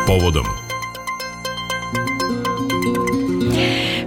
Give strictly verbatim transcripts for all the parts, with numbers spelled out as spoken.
povodom.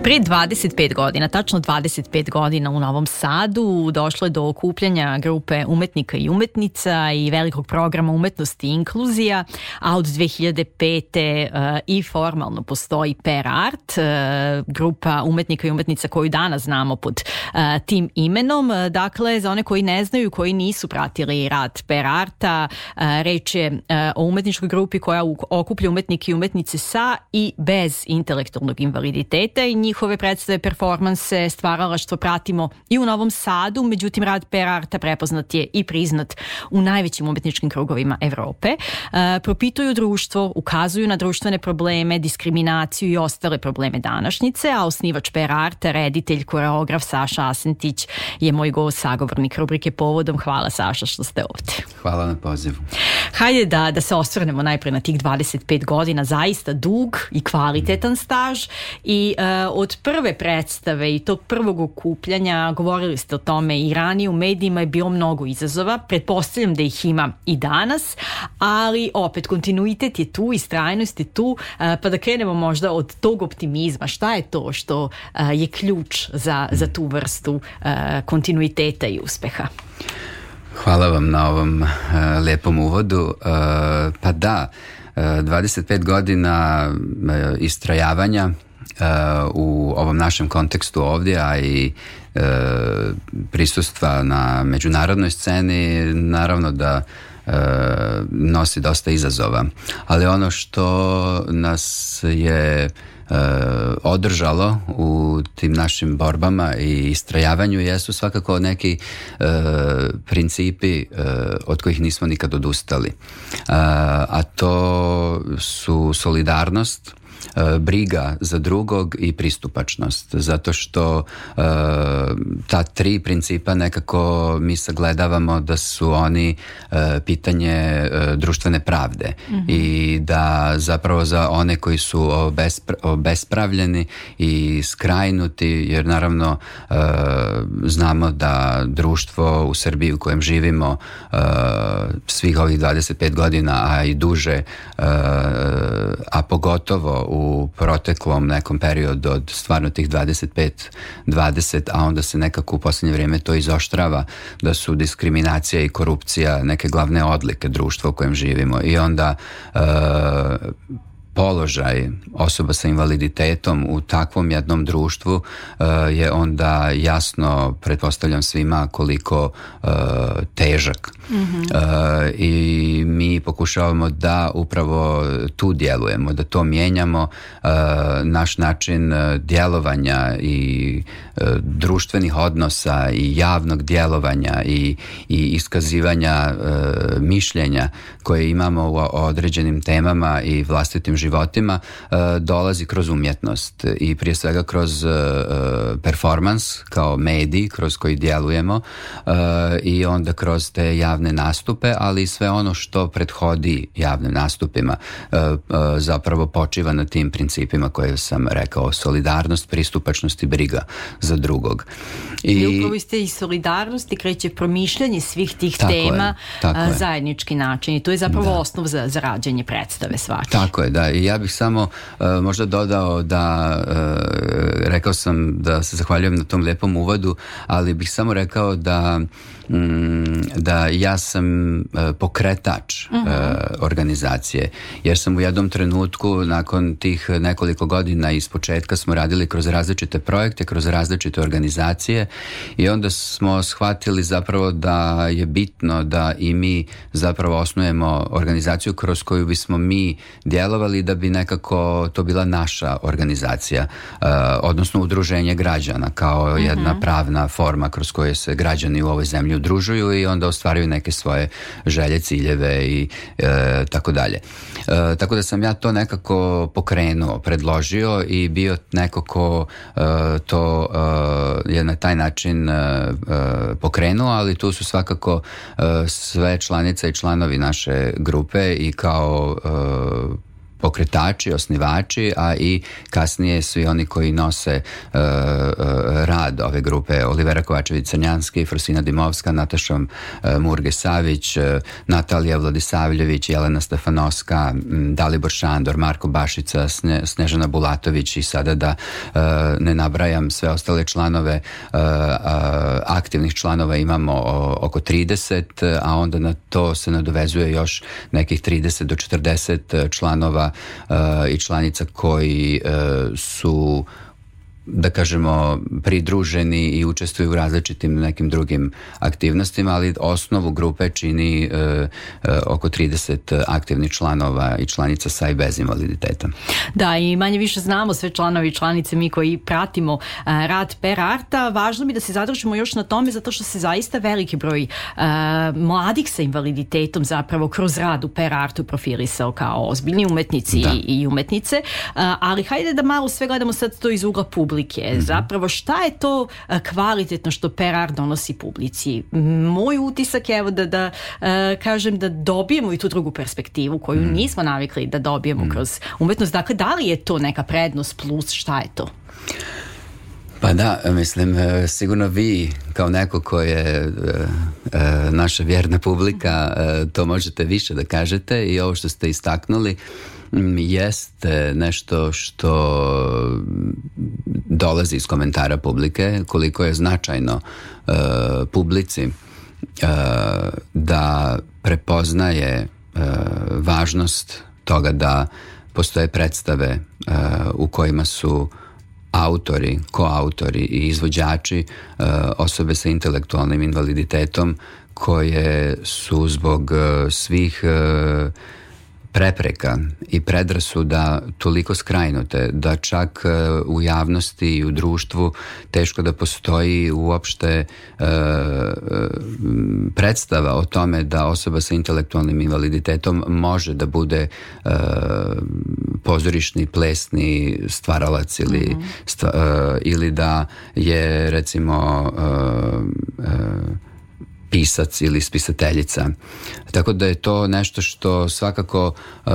Prije dvadeset pet godina, tačno dvadeset pet godina u Novom Sadu, došlo je do okupljanja grupe umetnika i umetnica i velikog programa umetnosti i inkluzija, a od dve hiljade pete. Uh, i formalno postoji Per Art, uh, grupa umetnika i umetnica koju danas znamo pod uh, tim imenom. Uh, dakle, za one koji ne znaju, koji nisu pratili rad Per Arta, uh, reč je uh, o umetničkoj grupi koja okuplja umetnike i umetnice sa i bez intelektualnog invaliditeta i njih Njihove predstave, performanse, stvaralaštvo pratimo i u Novom Sadu, međutim rad Per Arta prepoznat je i priznat u najvećim umetničkim krugovima Evrope. E, propituju društvo, ukazuju na društvene probleme, diskriminaciju i ostale probleme današnjice, a osnivač Per Arta, reditelj, koreograf Saša Asentić je moj gost, sagovornik rubrike Povodom. Hvala, Saša, što ste ovdje. Hvala na pozivu. Hajde da, da se osvrnemo najprije na tih dvadeset pet godina, zaista dug i kvalitetan staž i uh, od prve predstave i tog prvog okupljanja, govorili ste o tome i ranije, u medijima je bilo mnogo izazova, pretpostavljam da ih ima i danas, ali opet kontinuitet je tu, istrajnost je tu, uh, pa da krenemo možda od tog optimizma. Šta je to što uh, je ključ za, za tu vrstu uh, kontinuiteta i uspeha? Hvala vam na ovom uh, lijepom uvodu. Uh, pa da, uh, dvadeset pet godina uh, istrajavanja uh, u ovom našem kontekstu ovdje, a i uh, prisustva na međunarodnoj sceni, naravno da uh, nosi dosta izazova. Ali ono što nas je Uh, održalo u tim našim borbama i istrajavanju jesu svakako neki uh, principi uh, od kojih nismo nikad odustali. Uh, a to su solidarnost, uh, briga za drugog i pristupačnost. Zato što uh, ta tri principa nekako mi sagledavamo da su oni uh, pitanje uh, društvene pravde. Mm-hmm. I da zapravo za one koji su obespra- obespravljeni i skrajnuti, jer naravno uh, znamo da društvo u Srbiji u kojem živimo uh, svih ovih dvadeset pet godina, a i duže, uh, a pogotovo u proteklom nekom periodu od stvarno tih dvadeset pet dvadeset, a onda se nekako u posljednje vrijeme to izoštrava, da su diskriminacija i korupcija neke glavne odlike društva u kojem živimo. I onda uh, položaj osoba sa invaliditetom u takvom jednom društvu uh, je onda jasno, pretpostavljam svima, koliko uh, težak. Mm-hmm. Uh, I mi pokušavamo da upravo tu djelujemo, da to mijenjamo. Uh, naš način djelovanja i uh, društvenih odnosa i javnog djelovanja i, i iskazivanja uh, mišljenja koje imamo u određenim temama i vlastitim životima uh, dolazi kroz umjetnost i prije svega kroz uh, performans kao medij kroz koji djelujemo uh, i onda kroz te javne nastupe, ali i sve ono što prethodi javnim nastupima uh, uh, zapravo počiva na tim principima koje sam rekao: solidarnost, pristupačnost i briga za drugog. I, I upravo ste i solidarnost i kreće promišljanje svih tih tako tema na zajednički način i to je zapravo da. osnov za, za rađenje predstave svake. Tako je, da. I ja bih samo uh, možda dodao da uh, rekao sam da se zahvaljujem na tom lijepom uvodu, ali bih samo rekao da mm, da ja sam uh, pokretač uh, organizacije, jer sam u jednom trenutku nakon tih nekoliko godina iz početka smo radili kroz različite projekte, kroz različite organizacije i onda smo shvatili zapravo da je bitno da i mi zapravo osnujemo organizaciju kroz koju bismo mi djelovali, da bi nekako to bila naša organizacija, uh, odnosno udruženje građana kao mm-hmm. jedna pravna forma kroz koju se građani u ovoj zemlji udružuju i onda ostvaruju neke svoje želje, ciljeve i uh, tako dalje. Uh, tako da sam ja to nekako pokrenuo, predložio i bio neko ko uh, to uh, je na taj način uh, uh, pokrenuo, ali tu su svakako uh, sve članice i članovi naše grupe i kao uh, pokretači, osnivači, a i kasnije svi oni koji nose uh, uh, rad ove grupe: Olivera Kovačević-Crnjanski, Frosina Dimovska, Nataša uh, Murge-Savić, uh, Natalija Vladisavljević, Jelena Stefanovska, um, Dalibor Šandor, Marko Bašica, Sne, Snežana Bulatović i sada da uh, ne nabrajam sve ostale članove, uh, uh, aktivnih članova imamo o, oko trideset, a onda na to se nadovezuje još nekih trideset do četrdeset članova uh, i članica koji uh, su, da kažemo, pridruženi i učestvuju u različitim nekim drugim aktivnostima, ali osnovu grupe čini uh, uh, oko trideset aktivnih članova i članica sa i bez invaliditeta. Da, i manje više znamo sve članovi i članice, mi koji pratimo uh, rad Per Arta. Važno mi da se zadržimo još na tome, zato što se zaista veliki broj uh, mladih sa invaliditetom zapravo kroz rad u Per Artu profilisao kao ozbiljni umetnici i, i umetnice, uh, ali hajde da malo sve gledamo sad to iz ugla publike. Mm-hmm. Zapravo šta je to uh, kvalitetno što Per Art donosi publici? Moj utisak je, evo da, da uh, kažem da dobijemo i tu drugu perspektivu koju mm. nismo navikli da dobijemo mm. kroz umetnost. Dakle, da li je to neka prednost plus, šta je to? Pa da, mislim, sigurno vi kao neko ko je e, e, naša vjerna publika, e, to možete više da kažete, i ovo što ste istaknuli jeste nešto što dolazi iz komentara publike, koliko je značajno e, publici e, da prepoznaje e, važnost toga da postoje predstave e, u kojima su autori, koautori i izvođači e, osobe sa intelektualnim invaliditetom koje su zbog e, svih e, prepreka i predrasuda toliko skrajnute da čak u javnosti i u društvu teško da postoji uopšte e, predstava o tome da osoba sa intelektualnim invaliditetom može da bude e, pozorišni, plesni stvaralac ili, mm-hmm. stva, e, ili da je recimo e, e, pisac ili spisateljica. Tako da je to nešto što svakako uh,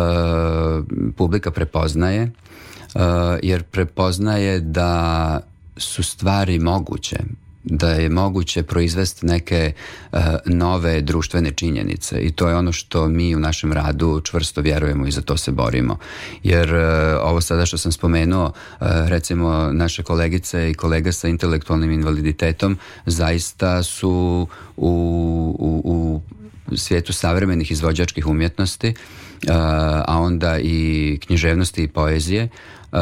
publika prepoznaje, uh, jer prepoznaje da su stvari moguće, da je moguće proizvesti neke uh, nove društvene činjenice, i to je ono što mi u našem radu čvrsto vjerujemo i za to se borimo. Jer uh, ovo sada što sam spomenuo, uh, recimo naše kolegice i kolega sa intelektualnim invaliditetom zaista su u, u, u svijetu savremenih izvođačkih umjetnosti, uh, a onda i književnosti i poezije, Uh,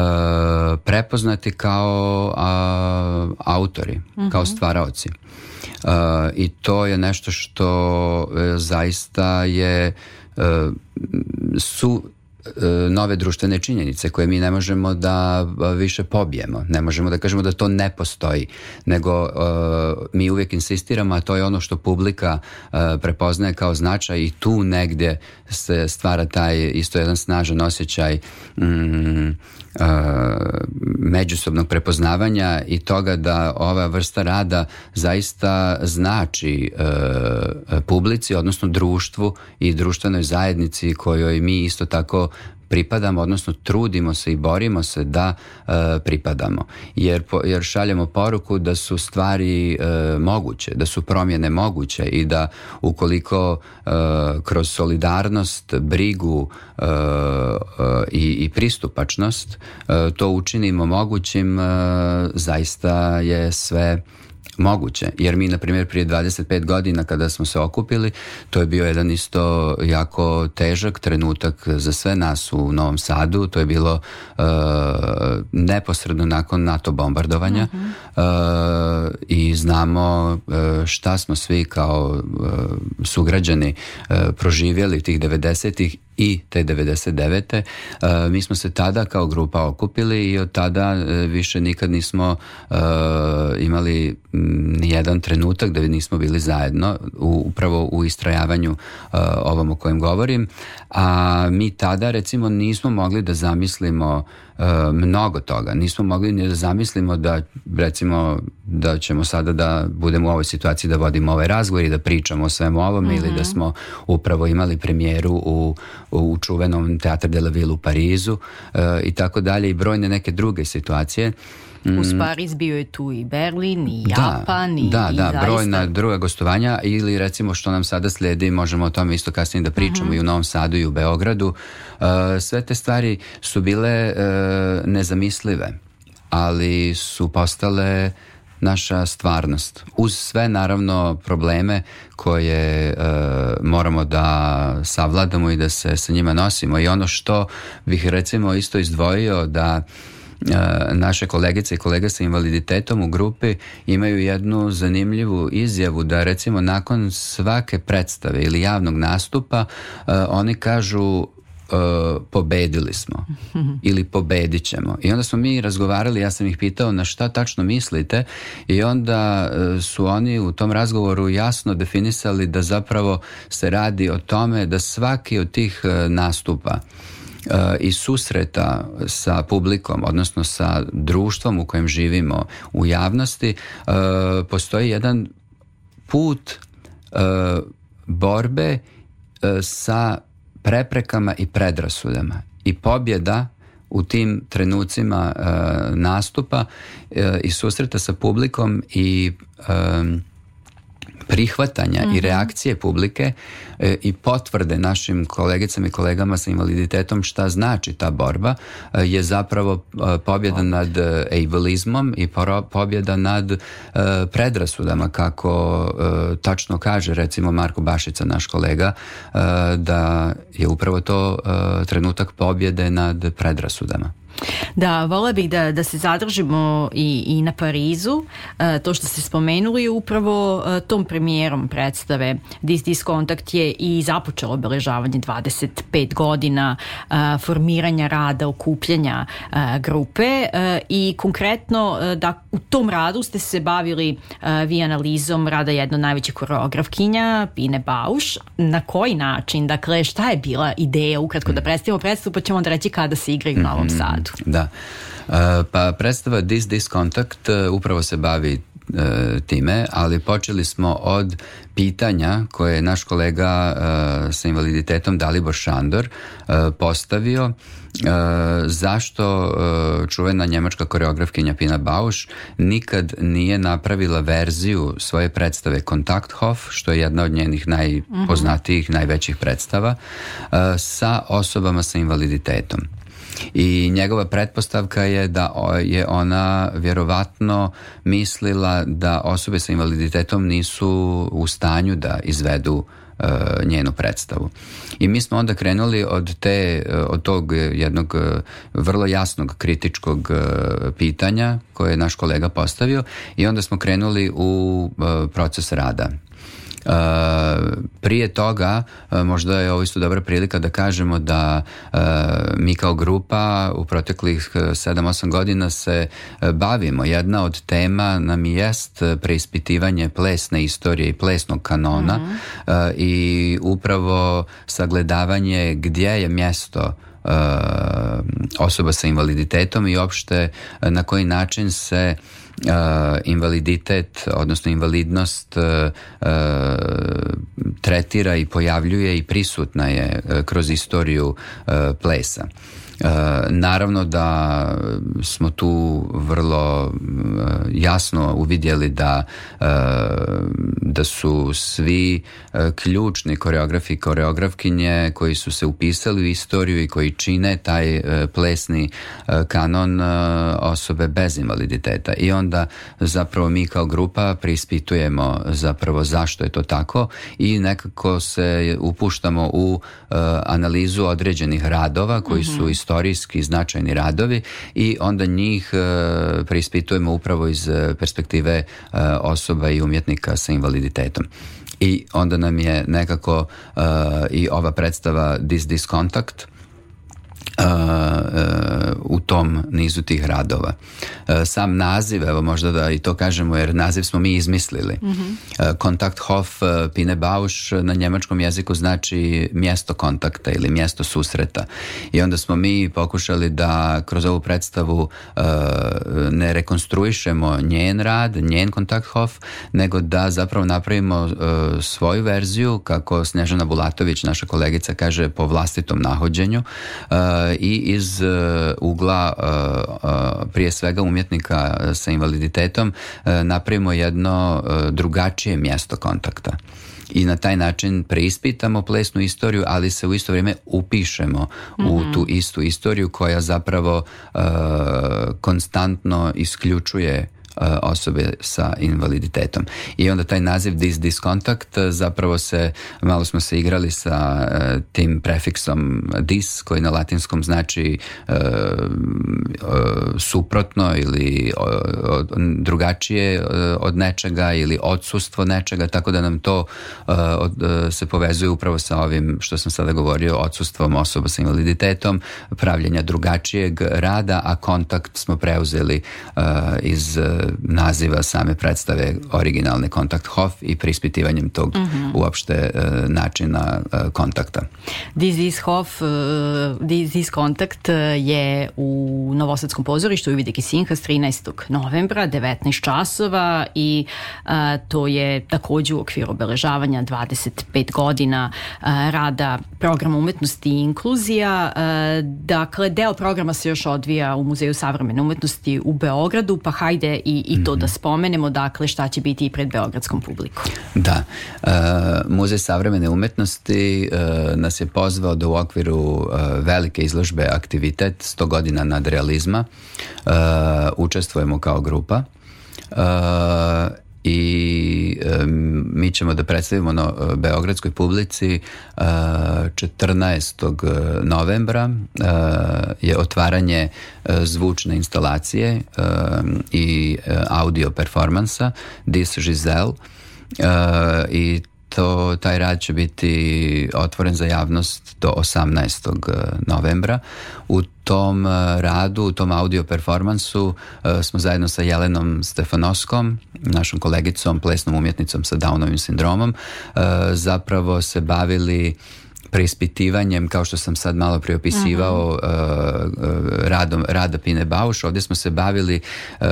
prepoznati kao a, autori, mm-hmm. kao stvaraoci. Uh, I to je nešto što uh, zaista je uh, su nove društvene činjenice koje mi ne možemo da više pobijemo. Ne možemo da kažemo da to ne postoji, nego uh, mi uvijek insistiramo, a to je ono što publika uh, prepoznaje kao značaj, i tu negdje se stvara taj isto jedan snažan osjećaj um, Uh, međusobnog prepoznavanja i toga da ova vrsta rada zaista znači uh, publici, odnosno društvu i društvenoj zajednici kojoj mi isto tako pripadamo, odnosno trudimo se i borimo se da uh, pripadamo. Jer, po, jer šaljemo poruku da su stvari uh, moguće, da su promjene moguće i da ukoliko uh, kroz solidarnost, brigu uh, uh, i, i pristupačnost uh, to učinimo mogućim, uh, zaista je sve moguće. Jer mi, na primjer, prije dvadeset pet godina kada smo se okupili, to je bio jedan isto jako težak trenutak za sve nas u Novom Sadu. To je bilo uh, neposredno nakon NATO bombardovanja, uh-huh. uh, i znamo uh, šta smo svi kao uh, sugrađani uh, proživjeli tih devedesetih i te devedeset devete. Uh, mi smo se tada kao grupa okupili i od tada uh, više nikad nismo uh, imali nijedan trenutak da nismo bili zajedno u, upravo u istrajavanju uh, ovom o kojem govorim, a mi tada recimo nismo mogli da zamislimo uh, mnogo toga, nismo mogli ni da zamislimo da recimo da ćemo sada da budemo u ovoj situaciji da vodimo ovaj razgovor i da pričamo o svemu ovome, mm-hmm. ili da smo upravo imali premijeru u, u čuvenom Teatr de la Ville u Parizu uh, i tako dalje i brojne neke druge situacije. Uz Pariz bio je tu i Berlin, i Japan, da, i, da, i da, zaista... brojna druga gostovanja ili recimo što nam sada slijedi, možemo o tome isto kasnije da pričamo uh-huh. i u Novom Sadu i u Beogradu. Uh, sve te stvari su bile uh, nezamislive, ali su postale naša stvarnost. Uz sve naravno probleme koje uh, moramo da savladamo i da se sa njima nosimo. I ono što bih recimo isto izdvojio da naše kolegice i kolege sa invaliditetom u grupi imaju jednu zanimljivu izjavu da recimo nakon svake predstave ili javnog nastupa uh, oni kažu uh, pobedili smo ili pobedit ćemo. I onda smo mi razgovarali, ja sam ih pitao na šta tačno mislite i onda uh, su oni u tom razgovoru jasno definisali da zapravo se radi o tome da svaki od tih uh, nastupa Uh, i susreta sa publikom, odnosno sa društvom u kojem živimo u javnosti, uh, postoji jedan put uh, borbe uh, sa preprekama i predrasudama. I pobjeda u tim trenucima uh, nastupa uh, i susreta sa publikom i um, prihvatanja mm-hmm. i reakcije publike e, i potvrde našim kolegicama i kolegama sa invaliditetom šta znači ta borba e, je zapravo e, pobjeda nad e, ableizmom i poro, pobjeda nad e, predrasudama, kako e, tačno kaže recimo Marko Bašica, naš kolega, e, da je upravo to e, trenutak pobjede nad predrasudama. Da, vola bih da, da se zadržimo i, i na Parizu. E, to što ste spomenuli upravo e, tom premijerom predstave This This Contact je i započelo obeležavanje dvadeset pet godina e, formiranja rada, okupljanja e, grupe e, i konkretno e, da u tom radu ste se bavili e, vi analizom rada jedno najvećih koreografkinja Pine Bausch. Na koji način? Dakle, šta je bila ideja? Ukratko da predstavimo predstavu pa ćemo onda reći kada se igra u Novom Sadu. Da, uh, pa predstava This This Contact uh, upravo se bavi uh, time, ali počeli smo od pitanja koje je naš kolega uh, sa invaliditetom Dalibor Šandor uh, postavio uh, zašto uh, čuvena njemačka koreografkinja Pina Bausch nikad nije napravila verziju svoje predstave Kontakthof, što je jedna od njenih najpoznatijih, mm-hmm. najvećih predstava, uh, sa osobama sa invaliditetom. I njegova pretpostavka je da je ona vjerovatno mislila da osobe sa invaliditetom nisu u stanju da izvedu uh, njenu predstavu. I mi smo onda krenuli od te, od tog jednog vrlo jasnog kritičkog uh, pitanja koje je naš kolega postavio i onda smo krenuli u uh, proces rada. Uh, prije toga uh, možda je ovo isto dobra prilika da kažemo da uh, mi kao grupa u proteklih sedam osam godina se uh, bavimo. Jedna od tema nam jest preispitivanje plesne istorije i plesnog kanona mm-hmm. uh, i upravo sagledavanje gdje je mjesto uh, osoba sa invaliditetom i uopšte uh, na koji način se Uh, invaliditet, odnosno invalidnost uh, uh, tretira i pojavljuje i prisutna je uh, kroz istoriju uh, plesa. Uh, naravno da smo tu vrlo uh, jasno uvidjeli da, uh, da su svi uh, ključni koreografi i koreografkinje koji su se upisali u istoriju i koji čine taj uh, plesni uh, kanon uh, osobe bez invaliditeta. I onda zapravo mi kao grupa preispitujemo zapravo zašto je to tako i nekako se upuštamo u uh, analizu određenih radova koji mm-hmm. su istorijski značajni radovi i onda njih uh, preispitujemo upravo iz perspektive uh, osoba i umjetnika sa invaliditetom. I onda nam je nekako uh, i ova predstava This This Contact Uh, uh, u tom nizu tih radova. Sam naziv, evo možda da i to kažemo, jer naziv smo mi izmislili. Mm-hmm. Kontakthof Pine Bausch na njemačkom jeziku znači mjesto kontakta ili mjesto susreta. I onda smo mi pokušali da kroz ovu predstavu uh, ne rekonstruišemo njen rad, njen Kontakthof, nego da zapravo napravimo uh, svoju verziju, kako Snježana Bulatović, naša kolegica, kaže, po vlastitom nahođenju uh, i iz uh, ugla uh, uh, prije svega umjetnika sa invaliditetom uh, napravimo jedno uh, drugačije mjesto kontakta. I na taj način preispitamo plesnu istoriju, ali se u isto vrijeme upišemo mm-hmm. u tu istu istoriju koja zapravo uh, konstantno isključuje osobe sa invaliditetom. I onda taj naziv dis discontact, zapravo se, malo smo se igrali sa uh, tim prefiksom dis, koji na latinskom znači uh, uh, suprotno ili uh, drugačije uh, od nečega ili odsustvo nečega, tako da nam to uh, od, uh, se povezuje upravo sa ovim što sam sada govorio, odsustvom osoba sa invaliditetom, pravljenja drugačijeg rada, a kontakt smo preuzeli uh, iz naziva same predstave originalne Kontakthof i preispitivanjem tog mm-hmm. uopšte uh, načina uh, kontakta. This is Hof, uh, This is Kontakt je u Novosadskom pozorištu u Vidiki Sinhas trinaestog novembra, devetnaest časova i uh, to je također u okviru obeležavanja dvadeset pet godina uh, rada programa umetnosti i inkluzija. Uh, dakle, deo programa se još odvija u Muzeju savremene umetnosti u Beogradu, pa hajde i, i to mm-hmm. da spomenemo, dakle, šta će biti i pred beogradskom publikom. Da. Uh, Muzej savremene umetnosti uh, nas je pozvao da u okviru uh, velike izložbe Aktivitet sto godina nadrealizma uh, učestvujemo kao grupa. Uh, i um, mi ćemo da predstavimo na uh, beogradskoj publici uh, četrnaestog novembra uh, je otvaranje uh, zvučne instalacije uh, i uh, audio performansa Dis Giselle uh, i to, taj rad će biti otvoren za javnost do osamnaestog novembra. U tom radu, u tom audio performansu smo zajedno sa Jelenom Stefanoskom, našom kolegicom, plesnom umjetnicom sa Downovim sindromom, zapravo se bavili preispitivanjem, kao što sam sad malo priopisivao, uh-huh. radom, rada Pine Bausch. Ovdje smo se bavili uh,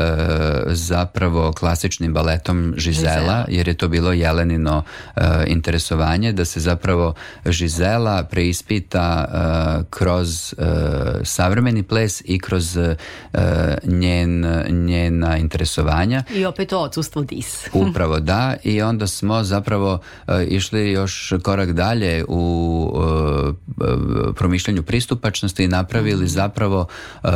zapravo klasičnim baletom Žizela, jer je to bilo Jelenino uh, interesovanje, da se zapravo Žizela preispita uh, kroz uh, savremeni ples i kroz uh, njen, njena interesovanja. I opet to odsustvo dis. Upravo da, i onda smo zapravo uh, išli još korak dalje u promišljanju pristupačnosti i napravili zapravo uh,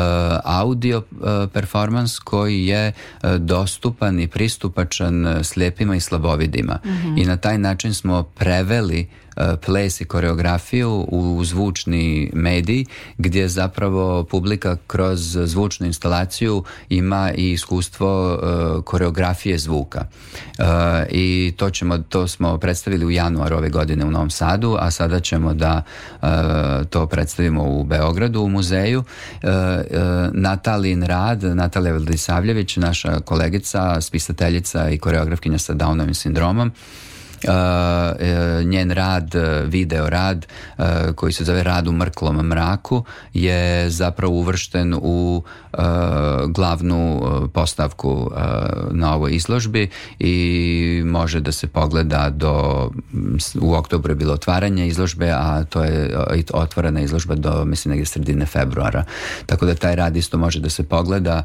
audio uh, performans koji je uh, dostupan i pristupačan slijepima i slabovidima. Mm-hmm. I na taj način smo preveli ples i koreografiju u zvučni medij, gdje zapravo publika kroz zvučnu instalaciju ima i iskustvo uh, koreografije zvuka. Uh, I to ćemo, to smo predstavili u januaru ove godine u Novom Sadu, a sada ćemo da uh, to predstavimo u Beogradu u muzeju. Uh, uh, Natalin rad, Natalija Vladisavljević, naša kolegica, spisateljica i koreografkinja sa Downovim sindromom, Uh, uh, njen rad, video rad uh, koji se zove Rad u mrklom mraku je zapravo uvršten u uh, glavnu uh, postavku uh, na ovoj izložbi i može da se pogleda do, u oktobru je bilo otvaranje izložbe, a to je uh, otvorena izložba do, mislim, negdje sredine februara, tako da taj rad isto može da se pogleda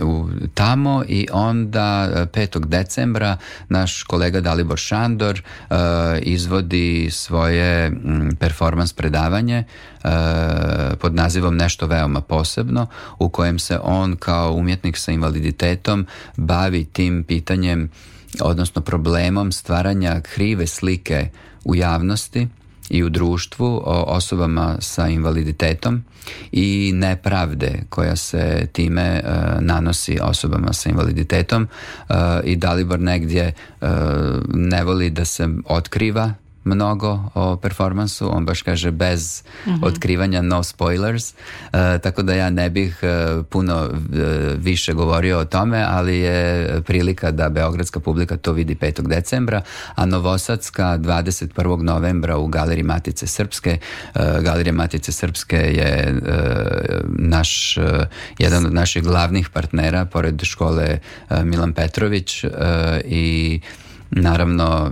u, tamo. I onda petog decembra naš kolega Dalibor Šandor uh, izvodi svoje um, performans predavanje uh, pod nazivom Nešto veoma posebno, u kojem se on kao umjetnik sa invaliditetom bavi tim pitanjem, odnosno problemom stvaranja krive slike u javnosti i u društvu o osobama sa invaliditetom i nepravde koja se time uh, nanosi osobama sa invaliditetom uh, i Dalibor negdje uh, ne voli da se otkriva mnogo o performansu, on baš kaže bez mm-hmm. otkrivanja, no spoilers, uh, tako da ja ne bih uh, puno uh, više govorio o tome, ali je prilika da beogradska publika to vidi petog decembra, a novosadska dvadeset prvog novembra u Galeriji Matice Srpske. Uh, Galerija Matice Srpske je uh, naš, uh, jedan od naših glavnih partnera, pored škole uh, Milan Petrović, uh, i naravno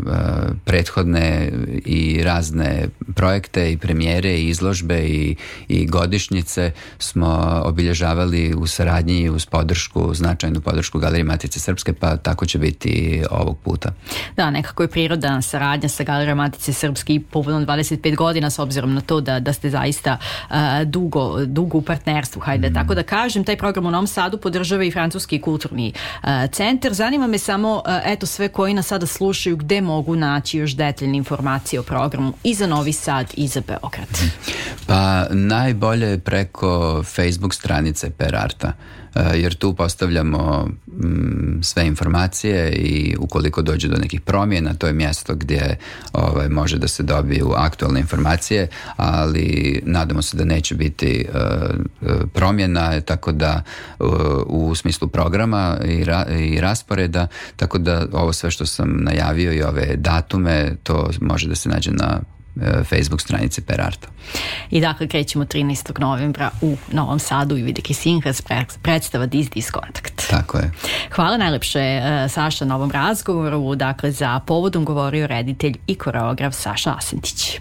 prethodne i razne projekte i premijere i izložbe i, i godišnjice smo obilježavali u saradnji i uz podršku, značajnu podršku Galerije Matice Srpske, pa tako će biti ovog puta. Da, nekako je prirodna saradnja sa Galerijom Matice Srpske i povodom dvadeset pet godina, s obzirom na to da, da ste zaista uh, dugo, dugo u partnerstvu, hajde mm. tako da kažem. Taj program u Novom Sadu podržava i Francuski kulturni uh, centar. Zanima me samo, uh, eto, sve koji nas sada slušaju, gde mogu naći još detaljne informacije o programu i za Novi Sad i za Beograd? Pa najbolje je preko Facebook stranice Per Arta, jer tu postavljamo mm, sve informacije i ukoliko dođe do nekih promjena, to je mjesto gdje ovaj, može da se dobiju aktualne informacije, ali nadamo se da neće biti uh, promjena, tako da uh, u smislu programa i, ra, i rasporeda, tako da ovo sve što sam najavio i ove datume, to može da se nađe na Facebook stranici Per Arta. I dakle krećemo trinaestog novembra u Novom Sadu i Vidike Sinhas, predstava Dis Dis Kontakt. Tako je. Hvala najlepše, Saša, na ovom razgovoru. Dakle, za povodom govorio reditelj i koreograf Saša Asentić.